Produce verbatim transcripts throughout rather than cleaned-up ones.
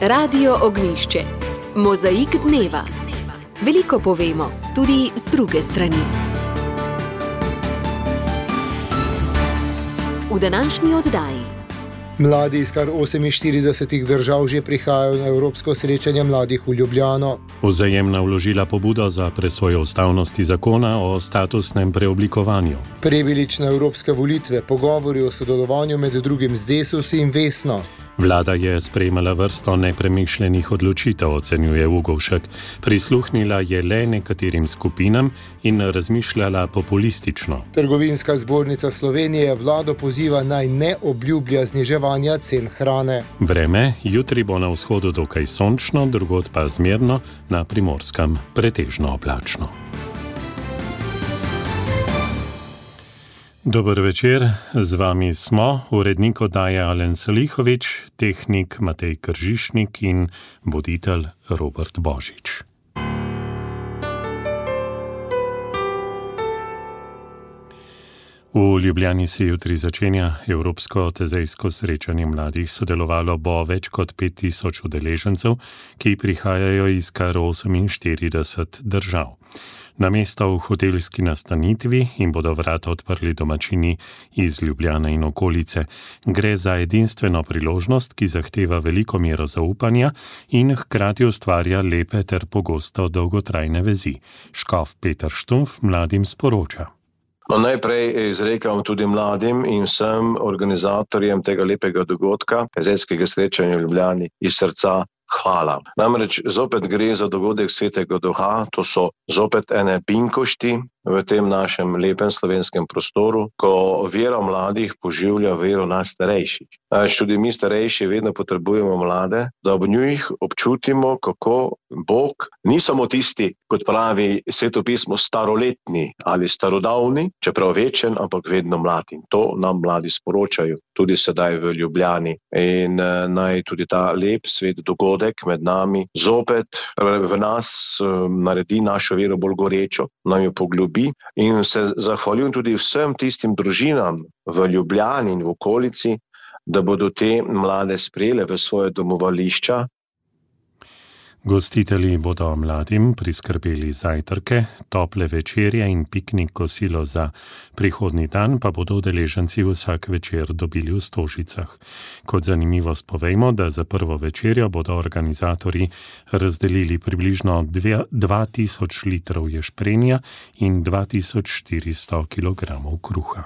Radio Ognjišče. Mozaik dneva. Veliko povemo, tudi z druge strani. V današnji oddaji. Mladi iz kar oseminštiridesetih držav že prihajajo na Evropsko srečanje mladih v Ljubljano. Vzajemna vložila pobudo za presojo ustavnosti zakona o statusnem preoblikovanju. Prebilič na evropske volitve, pogovori o sodelovanju med drugim z Desusi in Vesno. Vlada je sprejemala vrsto nepremišljenih odločitev, ocenjuje Ugovšek. Prisluhnila je le nekaterim skupinam in razmišljala populistično. Trgovinska zbornica Slovenije vlado poziva naj ne obljublja zniževanja cen hrane. Vreme, jutri bo na vzhodu dokaj sončno, drugod pa zmerno, na Primorskem pretežno oblačno. Dober večer, z vami smo, urednik oddaje Alen Salihovič, tehnik Matej Kržišnik in voditelj Robert Božič. V Ljubljani se jutri začenja Evropsko tezejsko srečanje mladih. Sodelovalo bo več kot pet tisoč udeležencev, ki prihajajo iz kar oseminštirideset držav. Namesto v hotelski nastanitvi jim bodo vrata odprli domačini iz Ljubljane in okolice. Gre za edinstveno priložnost, ki zahteva veliko mero zaupanja in hkrati ustvarja lepe ter pogosto dolgotrajne vezi. Škof Peter Štumpf mladim sporoča. No, najprej izrekam tudi mladim in vsem organizatorjem tega lepega dogodka, tezejskega srečanja v Ljubljani, iz srca hvala. Namreč zopet gre za dogodek svetega duha, to so zopet ene pinkošti v tem našem lepem slovenskem prostoru, ko vera mladih poživlja vero nas starejših. Namreč tudi mi starejši vedno potrebujemo mlade, da ob njih občutimo, kako Bog ni samo tisti, kot pravi svetopismo, staroletni ali starodavni, čeprav večen, ampak vedno mlad. In to nam mladi sporočajo, tudi sedaj v Ljubljani. In uh, naj tudi ta lep svet dogodek med nami zopet v nas uh, naredi našo vero bolj gorečo, nam jo poglobi. In se zahvaljujem tudi vsem tistim družinam v Ljubljani in v okolici, da bodo te mlade sprejele v svoje domovališča. Gostitelji bodo mladim priskrbeli zajtrke, tople večerje in piknik kosilo za prihodnji dan, pa bodo udeleženci vsak večer dobili v stožicah. Kot zanimivost povejmo, da za prvo večerjo bodo organizatorji razdelili približno dva tisoč litrov ješprenja in dva tisoč štiristo kilogramov kruha.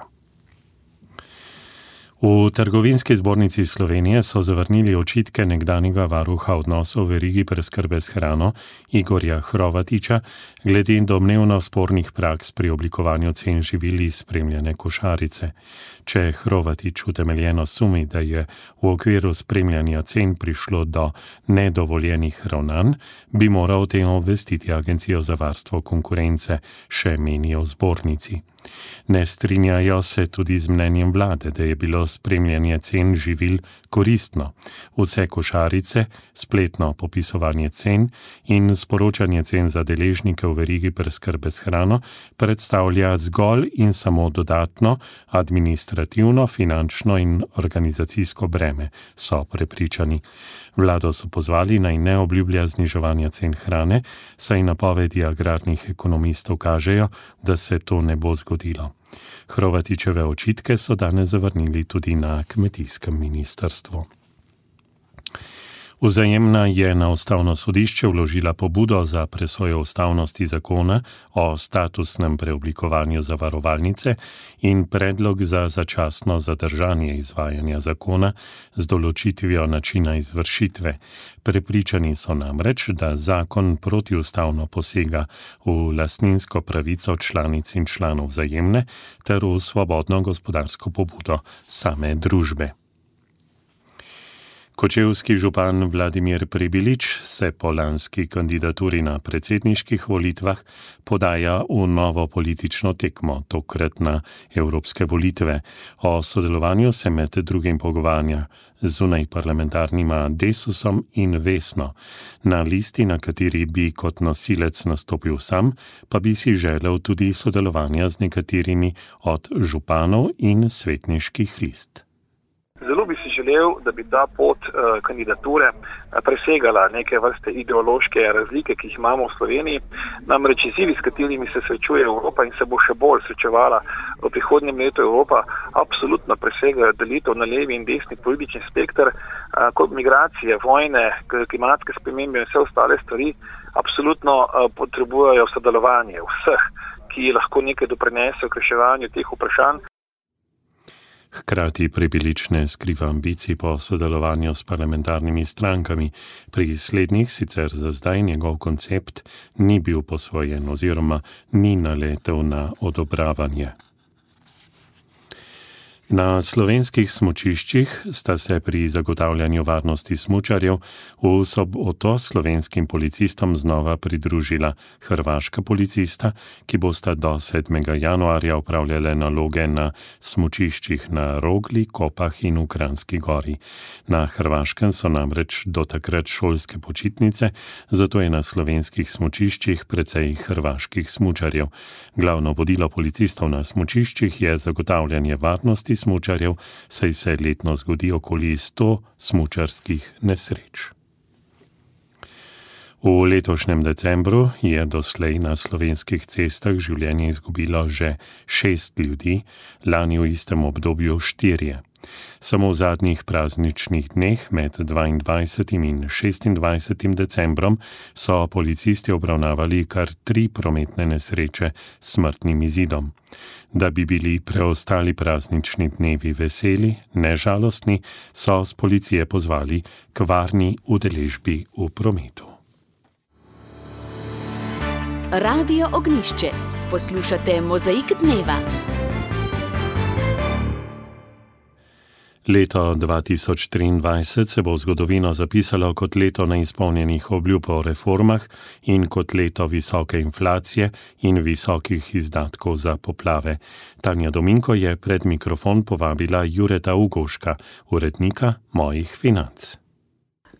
V Trgovinski zbornici Slovenije so zavrnili očitke nekdanjega varuha odnosov v verigi preskrbe s hrano Igorja Hrovatiča glede domnevno spornih praks pri oblikovanju cen živil iz spremljene košarice. Če Hrovatič utemeljeno sumi, da je v okviru spremljanja cen prišlo do nedovoljenih ravnanj, bi moral o tem obvestiti Agencijo za varstvo konkurence, še menijo v zbornici. Ne strinjajo se tudi z mnenjem vlade, da je bilo spremljanje cen živil koristno. Vse košarice, spletno popisovanje cen in sporočanje cen za deležnike v verigi preskrbe s hrano predstavlja zgolj in samo dodatno administrativno, finančno in organizacijsko breme, so prepričani. Vlado so pozvali naj ne obljublja zniževanja cen hrane, saj napovedi agrarnih ekonomistov kažejo, da se to ne bo zgodilo. Hrovatičeve očitke so danes zavrnili tudi na kmetijskem ministrstvu. Vzajemna je na ustavno sodišče vložila pobudo za presojo ustavnosti zakona o statusnem preoblikovanju zavarovalnice in predlog za začasno zadržanje izvajanja zakona z določitvijo načina izvršitve. Prepričani so namreč, da zakon protiustavno posega v lastninsko pravico članic in članov Vzajemne ter v svobodno gospodarsko pobudo same družbe. Kočevski župan Vladimir Prebilič se po lanski kandidaturi na predsedniških volitvah podaja v novo politično tekmo, tokrat na evropske volitve. O sodelovanju se med drugim pogovarja zunaj parlamentarnima Desusom in Vesno. Na listi, na kateri bi kot nosilec nastopil sam, pa bi si želel tudi sodelovanja z nekaterimi od županov in svetniških list. Zelo bi si želel, da bi ta pot uh, kandidature uh, presegala neke vrste ideološke razlike, ki jih imamo v Sloveniji. Namreč izzivi, s katerimi se srečuje Evropa in se bo še bolj srečevala v prihodnjem letu Evropa, absolutno presegajo delitev na levi in desni politični spekter, uh, kot migracije, vojne, klimatske spremembe in vse ostale stvari, absolutno uh, potrebujejo sodelovanje vseh, ki lahko nekaj doprinesejo k reševanju teh vprašanj. Hkrati Prebilič ne skriva ambicij po sodelovanju s parlamentarnimi strankami. Pri slednjih sicer za zdaj njegov koncept ni bil posvojen oziroma ni naletel na odobravanje. Na slovenskih smučiščih sta se pri zagotavljanju varnosti smučarjev v soboto slovenskim policistom znova pridružila hrvaška policista, ki bosta do sedmega januarja opravljale naloge na smučiščih na Rogli, Kopah in v Kranjski Gori. Na Hrvaškem so namreč do takrat šolske počitnice, zato je na slovenskih smučiščih precej hrvaških smučarjev. Glavno vodilo policistov na smučiščih je zagotavljanje varnosti smučarjev, saj se letno zgodi okoli sto smučarskih nesreč. V letošnjem decembru je doslej na slovenskih cestah življenje izgubilo že šest ljudi, lani v istem obdobju štirje. Samo v zadnjih prazničnih dneh med dvaindvajsetim in šestindvajsetim decembrom so policisti obravnavali kar tri prometne nesreče s smrtnim izidom. Da bi bili preostali praznični dnevi veseli, ne žalostni, so s policije pozvali k varni udeležbi v prometu. Radio Ognjišče. Poslušate Mozaik dneva. Leto dva tisoč triindvajset se bo v zgodovino zapisalo kot leto neizpolnjenih obljub o reformah in kot leto visoke inflacije in visokih izdatkov za poplave. Tanja Dominko je pred mikrofon povabila Jureta Ugovška, urednika Mojih financ.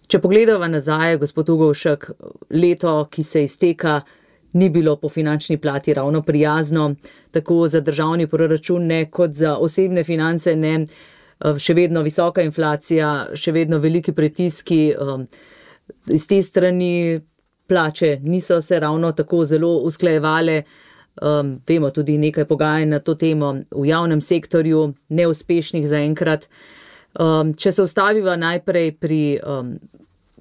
Če pogledava nazaj, gospod Ugovšek, leto, ki se izteka, ni bilo po finančni plati ravno prijazno, tako za državni proračun ne kot za osebne finance ne. Še vedno visoka inflacija, še vedno veliki pritiski, iz te strani plače niso se ravno tako zelo usklajevale, vemo tudi nekaj pogajanj na to temo v javnem sektorju, neuspešnih zaenkrat. Če se ustaviva najprej pri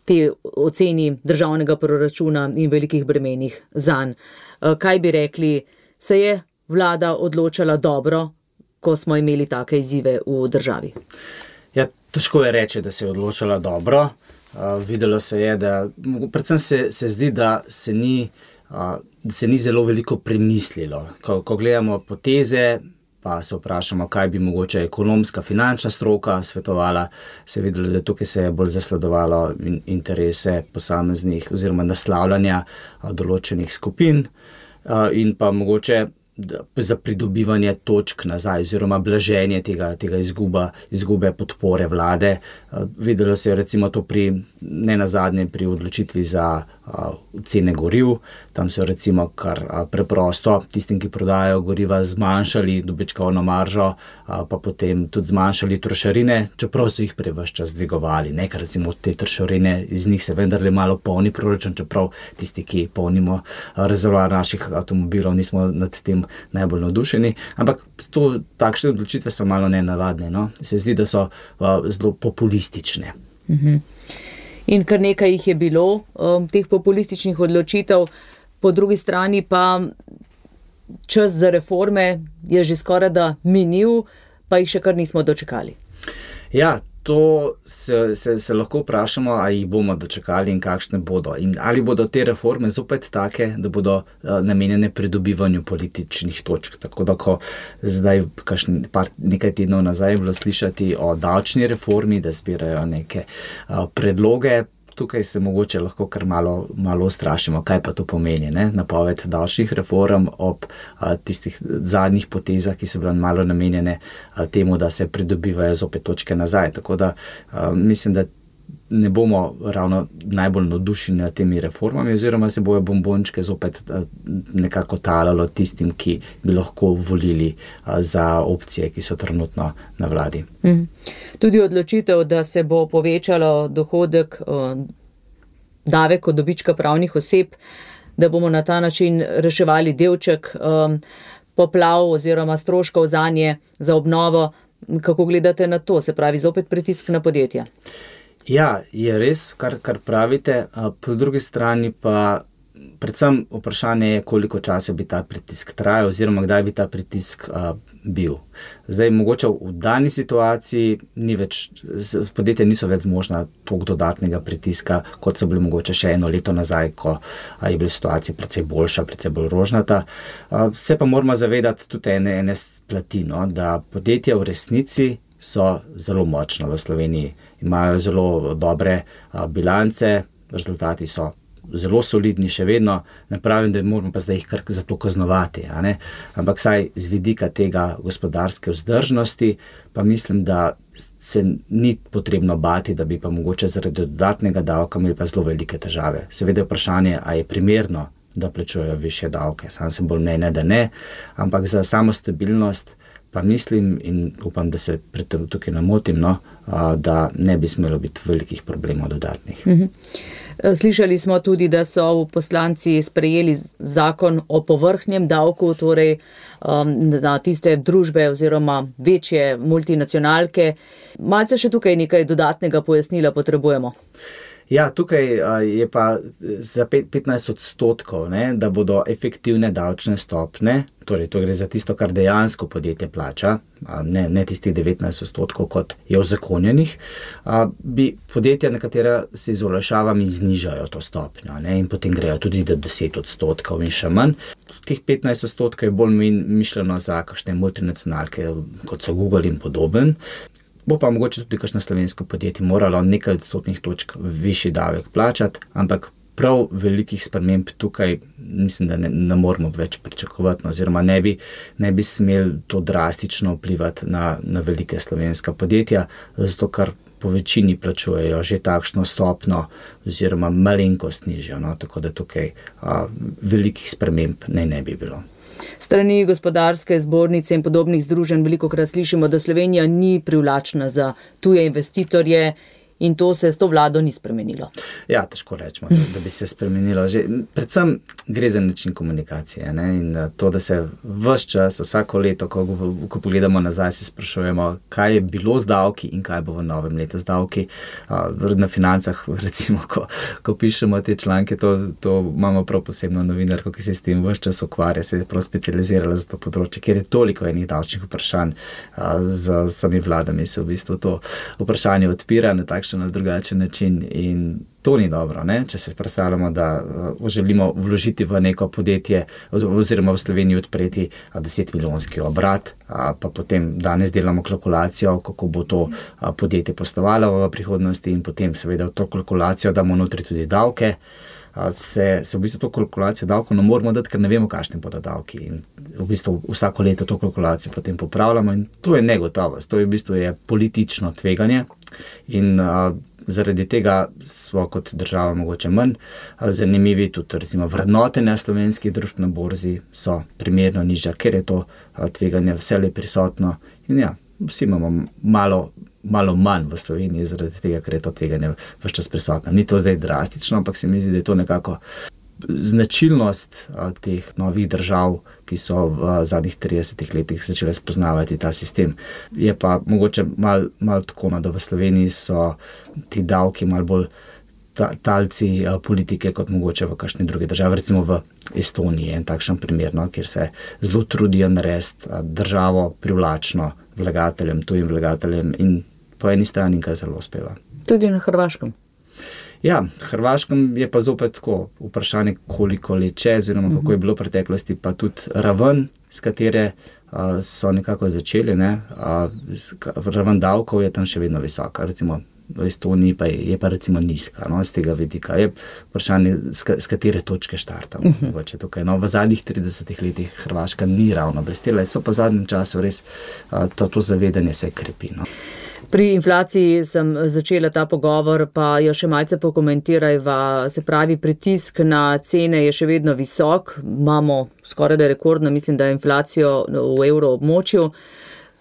te oceni državnega proračuna in velikih bremenih zanj, kaj bi rekli, se je vlada odločala dobro, ko smo imeli take izzive v državi? Ja, težko je reči, da se je odločala dobro. Uh, videlo se je, da predvsem se, se zdi, da se ni, uh, se ni zelo veliko premislilo. Ko, ko gledamo poteze, pa se vprašamo, kaj bi mogoče ekonomska, finančna stroka svetovala, se je videlo, da tukaj se je bolj zasledovalo in, interese posameznih oziroma naslavljanja uh, določenih skupin uh, in pa mogoče za pridobivanje točk nazaj oziroma blaženje tega, tega izguba, izgube podpore vlade. Videlo se je recimo to pri, ne nazadnje pri odločitvi za uh, cene goriv. Tam so recimo kar uh, preprosto tistim, ki prodajajo goriva, zmanjšali dobičkovno maržo, uh, pa potem tudi zmanjšali trošarine, čeprav so jih prej ves čas dvigovali. Nekaj recimo te trošarine, iz njih se vendarle malo polni proračun, čeprav tisti, ki polnimo uh, rezervoar naših avtomobilov, nismo nad tem najbolj navdušeni, ampak to, takšne odločitve so malo nenavadne, no? Se zdi, da so uh, zelo populistične. Uh-huh. In kar nekaj jih je bilo, um, teh populističnih odločitev, po drugi strani pa čas za reforme je že skoraj da minil, pa jih še kar nismo dočekali. Ja, to se, se, se lahko vprašamo, ali jih bomo dočekali in kakšne bodo. In ali bodo te reforme zopet take, da bodo uh, namenjene pridobivanju političnih točk. Tako da, ko zdaj kakšen, par, nekaj tednov nazaj je bilo slišati o davčni reformi, da zbirajo neke uh, predloge, tukaj se mogoče lahko kar malo, malo strašimo, kaj pa to pomeni, ne? Napoved davčnih reform ob a, tistih zadnjih potezah, ki so bile malo namenjene a, temu, da se pridobivajo zopet točke nazaj. Tako da a, mislim, da ne bomo ravno najbolj navdušeni nad temi reformami, oziroma se bojo bombončke zopet nekako talalo tistim, ki bi lahko volili za opcije, ki so trenutno na vladi. Mm. Tudi odločitev, da se bo povečalo dohodek, davek od dobička pravnih oseb, da bomo na ta način reševali delček um, poplav oziroma stroškov zanje za obnovo. Kako gledate na to? Se pravi, zopet pritisk na podjetja? Ja, je res, kar, kar pravite. Po drugi strani pa predvsem vprašanje je, koliko časa bi ta pritisk trajal oziroma kdaj bi ta pritisk a, bil. Zdaj, mogoče v dani situaciji ni več, podjetja niso več zmožna toliko dodatnega pritiska, kot so bili mogoče še eno leto nazaj, ko a, je bila situacija precej boljša, precej bolj rožnata. A, se pa moramo zavedati tudi ene, ene plati, no, da podjetja v resnici so zelo močna v Sloveniji. Imajo zelo dobre a, bilance, rezultati so zelo solidni še vedno, ne pravim, da moramo pa zdaj jih kar za to kaznovati, a ne? Ampak saj z vidika tega gospodarske vzdržnosti, pa mislim, da se ni potrebno bati, da bi pa mogoče zaradi dodatnega davka imeli pa zelo velike težave. Seveda je vprašanje, a je primerno, da plačujejo višje davke. Sam sem bolj mnenja, da ne, ampak za samo stabilnost pa mislim in upam, da se pred tem tukaj namotim, no, da ne bi smelo biti velikih problemov dodatnih. Slišali smo tudi, da so poslanci sprejeli zakon o povrhnjem davku, torej na tiste družbe oziroma večje multinacionalke. Malce še tukaj nekaj dodatnega pojasnila potrebujemo. Ja, tukaj je pa za petnajst odstotkov, ne, da bodo efektivne davčne stopne, torej to gre za tisto, kar dejansko podjetje plača, ne, ne tistih devetnajst odstotkov, kot je uzakonjenih, bi podjetja, nekatera se z olajšavami znižajo to stopnjo, ne, in potem grejo tudi do deset odstotkov in še manj. Teh petnajst odstotkov je bolj mišljeno za kakšne multinacionalke, kot so Google in podoben. Bo pa mogoče tudi kakšno slovensko podjetje moralo nekaj odstotnih točk višji davek plačati, ampak prav velikih sprememb tukaj mislim, da ne, ne moramo več pričakovati, oziroma ne bi, ne bi smeli to drastično vplivati na, na velike slovenska podjetja, zato ker po večini plačujejo že takšno stopno oziroma malenkost nižjo, no, tako da tukaj a, velikih sprememb ne, ne bi bilo. Strani gospodarske zbornice in podobnih združenj velikokrat slišimo, da Slovenija ni privlačna za tuje investitorje in to se s to vlado ni spremenilo. Ja, težko rečemo, da bi se spremenilo. Že, predvsem gre za način komunikacije, ne? In to, da se ves čas, vsako leto, ko, ko pogledamo nazaj, se sprašujemo, kaj je bilo z davki in kaj bo v novem letu z davki. Na Financah, recimo, ko, ko pišemo te članke, to, to imamo prav posebno novinarko, ki se s tem ves čas ukvarja, se je prav specializirala za to področje, ker je toliko enih davčnih vprašanj z sami vladami, se v bistvu to vprašanje odpira na takšen na drugačen način in to ni dobro, ne? Če se predstavljamo, da uh, želimo vložiti v neko podjetje oziroma v Sloveniji odpreti deset milijonski obrat, a, pa potem danes delamo kalkulacijo, kako bo to a, podjetje poslovalo v prihodnosti in potem seveda v to kalkulacijo damo notri tudi davke. Se, se v bistvu to kalkulacijo davkov ne moramo dati, ker ne vemo, kakšne bodo davki. In v bistvu vsako leto to kalkulacijo potem popravljamo in to je negotovost, to je v bistvu je politično tveganje in a, zaradi tega smo kot država mogoče manj a, zanimivi, tudi recimo vrednotenja slovenskih družb na borzi so primerno nižja, ker je to a, tveganje vselej prisotno in ja, vsi imamo malo malo manj v Sloveniji, zaradi tega, ker je to tveganje ves čas prisotno. Ni to zdaj drastično, ampak se mi zdi, da je to nekako značilnost a, teh novih držav, ki so v zadnjih tridesetih letih začele spoznavati ta sistem. Je pa mogoče malo mal tako, no, da v Sloveniji so ti davki malo bolj ta, talci a, politike, kot mogoče v kakšni drugi državi, recimo v Estoniji je en takšen primer, no, kjer se zelo trudijo narediti državo privlačno vlagateljem, tujim vlagateljem in po eni strani kar zelo uspeva. Tudi na Hrvaškem. Ja, Hrvaškem je pa zopet tako vprašanje, koliko leče, oziroma kako je bilo v preteklosti, pa tudi raven, s katere uh, so nekako začeli, ne, uh, raven davkov je tam še vedno visoka. Recimo v Estoniji pa je, je pa recimo nizka, no, z tega vidika. Je vprašanje, s katere točke štartamo. Uh -huh. tukaj, no, v zadnjih tridesetih letih Hrvaška ni ravno blestela, so pa v zadnjem času res to, to zavedanje se krepi. No. Pri inflaciji sem začela ta pogovor, pa jo še malce pokomentirajva. Se pravi, pritisk na cene je še vedno visok. Imamo skoraj da rekordno, mislim, da inflacijo v evroobmočju,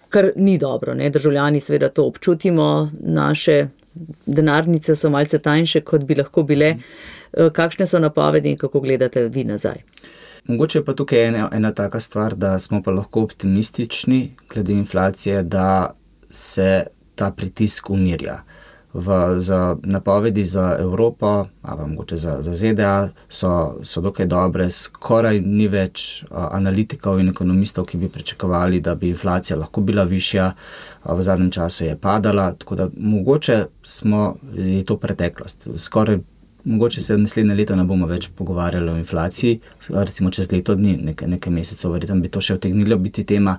kar ni dobro, ne? Državljani seveda to občutimo, naše denarnice so malce tanjše, kot bi lahko bile. Kakšne so napovedi in kako gledate vi nazaj? Mogoče je pa tukaj ena, ena taka stvar, da smo pa lahko optimistični glede inflacije, da se ta pritisk umirja. V, za napovedi za Evropo, ali mogoče za, za Z D A, so, so dokaj dobre. Skoraj ni več a, analitikov in ekonomistov, ki bi pričakovali, da bi inflacija lahko bila višja. A, v zadnjem času je padala, tako da mogoče smo, je to preteklost. Skoraj Mogoče se naslednje leto ne bomo več pogovarjali o inflaciji, recimo čez leto dni, nekaj, nekaj mesecev, verjetno bi to še utegnilo biti tema,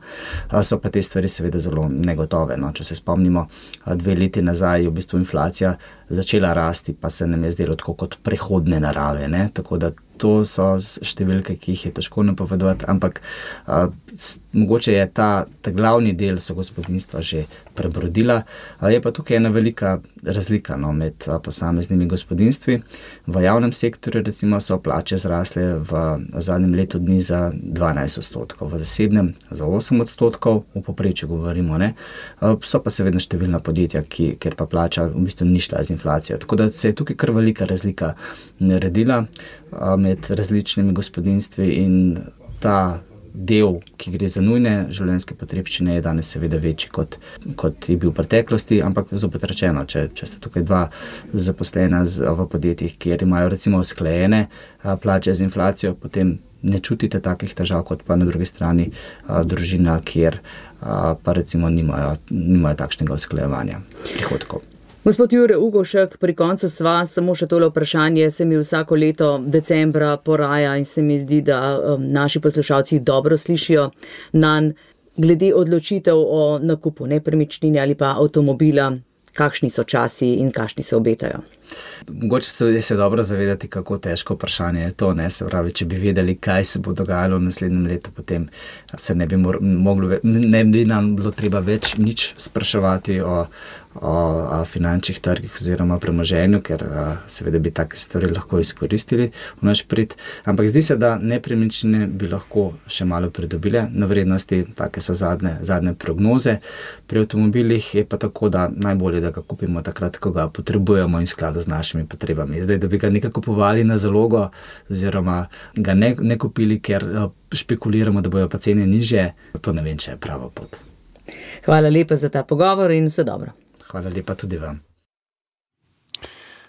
so pa te stvari seveda zelo negotove. No. Če se spomnimo, dve leti nazaj je v bistvu inflacija začela rasti, pa se nam je zdelo tako kot prehodne narave, ne. Tako da to so številke, ki jih je težko napovedovati, ampak a, s, mogoče je ta, ta glavni del so gospodinjstva že prebrodila. A, je pa tukaj ena velika razlika, no, med a, posameznimi gospodinjstvi. V javnem sektorju recimo so plače zrasle v zadnjem letu dni za dvanajst odstotkov, v zasebnem za osem odstotkov, v povprečju govorimo, ne. A, so pa seveda številna podjetja, ki, kjer pa plača v bistvu ni šla z inflacijo. Tako da se je tukaj kar velika razlika naredila a, med različnimi gospodinjstvi in ta del, ki gre za nujne življenjske potrebščine, je danes seveda večji, kot, kot je bil v preteklosti, ampak zopet rečeno, če, če ste tukaj dva zaposlena z, v podjetjih, kjer imajo recimo usklajene a, plače z inflacijo, potem ne čutite takih težav, kot pa na drugi strani a, družina, kjer a, pa recimo nimajo, nimajo takšnega usklajevanja prihodkov. Gospod Jure Ugovšek, pri koncu sva, samo še tole vprašanje se mi vsako leto decembra poraja in se mi zdi, da um, naši poslušalci dobro slišijo nanj glede odločitev o nakupu nepremičnine ali pa avtomobila, kakšni so časi in kakšni se obetajo. Mogoče se je se dobro zavedati, kako težko vprašanje je to, ne, se pravi, če bi vedeli, kaj se bo dogajalo v naslednjem letu, potem se ne bi moglo, ne bi nam bilo treba več nič spraševati o, o, o finančnih trgih oziroma premoženju, ker a, seveda bi take stvari lahko izkoristili v naš prid, ampak zdi se, da nepremičnine bi lahko še malo pridobile na vrednosti, take so zadnje, zadnje prognoze. Pri avtomobilih je pa tako, da najbolje, da ga kupimo takrat, ko ga potrebujemo in skladu z našimi potrebami. Zdaj, da bi ga nekaj kupovali na zalogo oziroma ga ne, ne kupili, ker špekuliramo, da bojo pa cene nižje, to ne vem, če je prava pot. Hvala lepa za ta pogovor in vse dobro. Hvala lepa tudi vam.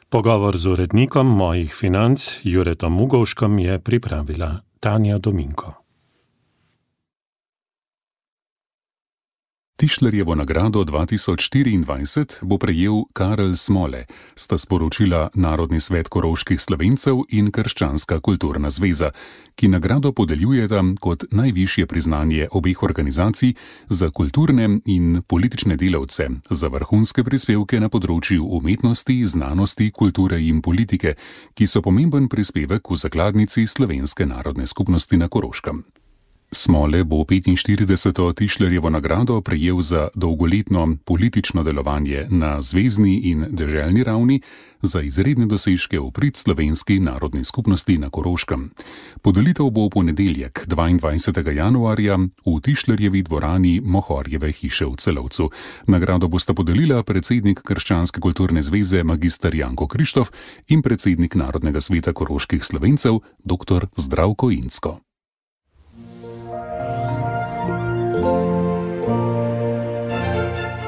Pogovor z urednikom Mojih financ Juretom Ugovškom je pripravila Tanja Dominko. Tišlerjevo nagrado dva tisoč štiriindvajset bo prejel Karel Smole, sta sporočila Narodni svet koroških Slovencev in Krščanska kulturna zveza, ki nagrado podeljujeta kot najvišje priznanje obeh organizacij za kulturne in politične delavce, za vrhunske prispevke na področju umetnosti, znanosti, kulture in politike, ki so pomemben prispevek v zakladnici Slovenske narodne skupnosti na Koroškem. Smole bo petinštirideseto Tišlerjevo nagrado prejel za dolgoletno politično delovanje na zvezni in deželni ravni, za izredne dosežke v prid Slovenski narodni skupnosti na Koroškem. Podelitev bo v ponedeljek, dvaindvajsetega januarja, v Tišlerjevi dvorani Mohorjeve hiše v Celovcu. Nagrado bosta podelila predsednik Krščanske kulturne zveze magister Janko Krištof in predsednik Narodnega sveta koroških Slovencev doktor Zdravko Incko.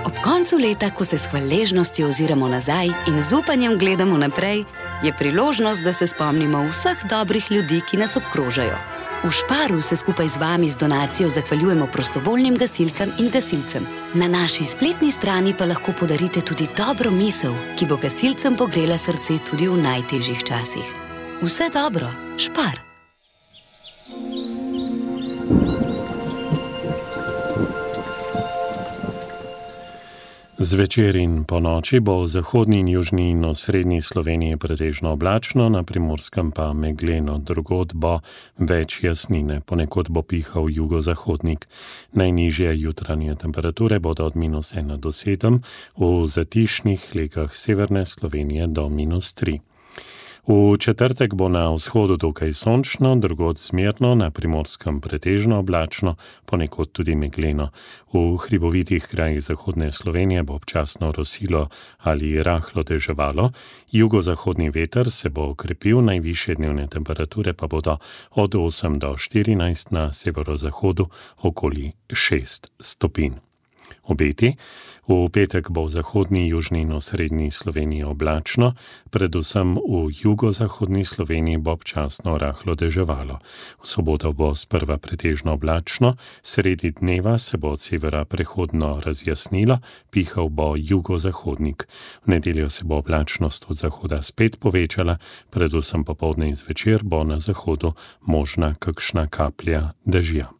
Ob koncu leta, ko se s hvaležnostjo oziramo nazaj in z upanjem gledamo naprej, je priložnost, da se spomnimo vseh dobrih ljudi, ki nas obkrožajo. V Šparu se skupaj z vami z donacijo zahvaljujemo prostovoljnim gasilkam in gasilcem. Na naši spletni strani pa lahko podarite tudi dobro misel, ki bo gasilcem pogrela srce tudi v najtežjih časih. Vse dobro, Špar! Zvečer in po noči bo v zahodni in južni in osrednji Sloveniji pretežno oblačno, na Primorskem pa megleno, drugod bo več jasnine, ponekod bo pihal jugozahodnik. Najnižje jutranje temperature bodo od minus ena do sedem, v zatišnih legah severne Slovenije do minus tri. V četrtek bo na vzhodu dokaj sončno, drugod zmerno, na Primorskem pretežno oblačno, ponekod tudi megleno. V hribovitih krajih zahodne Slovenije bo občasno rosilo ali rahlo deževalo, jugozahodni veter se bo okrepil, najvišje dnevne temperature pa bodo od osem do štirinajst, na severozahodu okoli šest stopinj. Obeti. V petek bo v zahodni, južni in osrednji Sloveniji oblačno, predvsem v jugozahodni Sloveniji bo občasno rahlo deževalo. V soboto bo sprva pretežno oblačno, sredi dneva se bo od severa prehodno razjasnilo, pihal bo jugozahodnik. V nedeljo se bo oblačnost od zahoda spet povečala, predvsem popoldne in zvečer bo na zahodu možna kakšna kaplja dežja.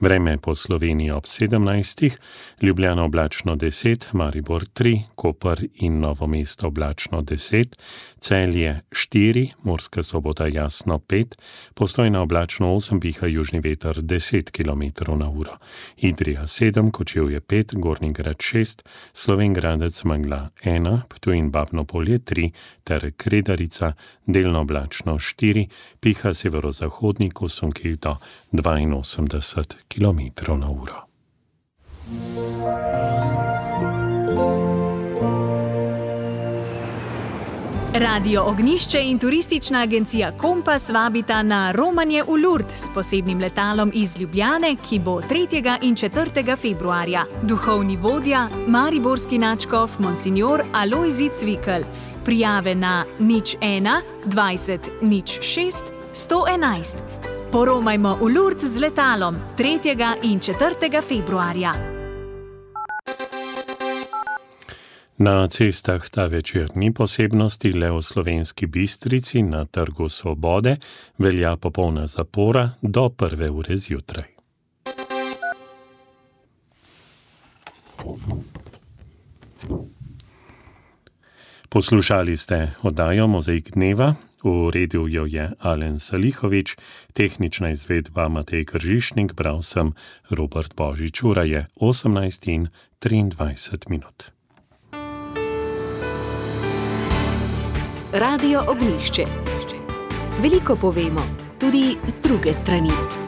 Vreme po Sloveniji ob sedemnajstih, Ljubljana oblačno deset, Maribor tri, Koper in Novo mesto oblačno deset, Celje štiri, Murska Sobota jasno pet, Postojna oblačno osem, piha južni veter deset kilometrov na uro, Idrija sedem, Kočevje pet, Gornji Grad šest, Slovenj Gradec megla ena, Ptuj in Babno Polje tri ter Kredarica delno oblačno štiri, piha severozahodnik v sunkih do dvainosemdeset kilometrov na uro. Radio Ognjišče in turistična agencija Kompas vabita na romanje v Lourdes s posebnim letalom iz Ljubljane, ki bo tretjega in četrtega februarja. Duhovni vodja, mariborski nadškof Monsignor Alojzij Cvikl. Prijave na nič ena dvajset nič šest sto enajst. Poromajmo v Lourdes z letalom tretjega in četrtega februarja. Na cestah ta večer ni posebnosti, le v Slovenski Bistrici na Trgu Svobode velja popolna zapora do prve ure zjutraj. Poslušali ste oddajo Mozaik dneva, uredil jo je Alen Salihovič, tehnična izvedba Matej Kržišnik, bral sem Robert Božič, ura je osemnajst in triindvajset minut. Radio Ognjišče. Veliko povemo, tudi z druge strani.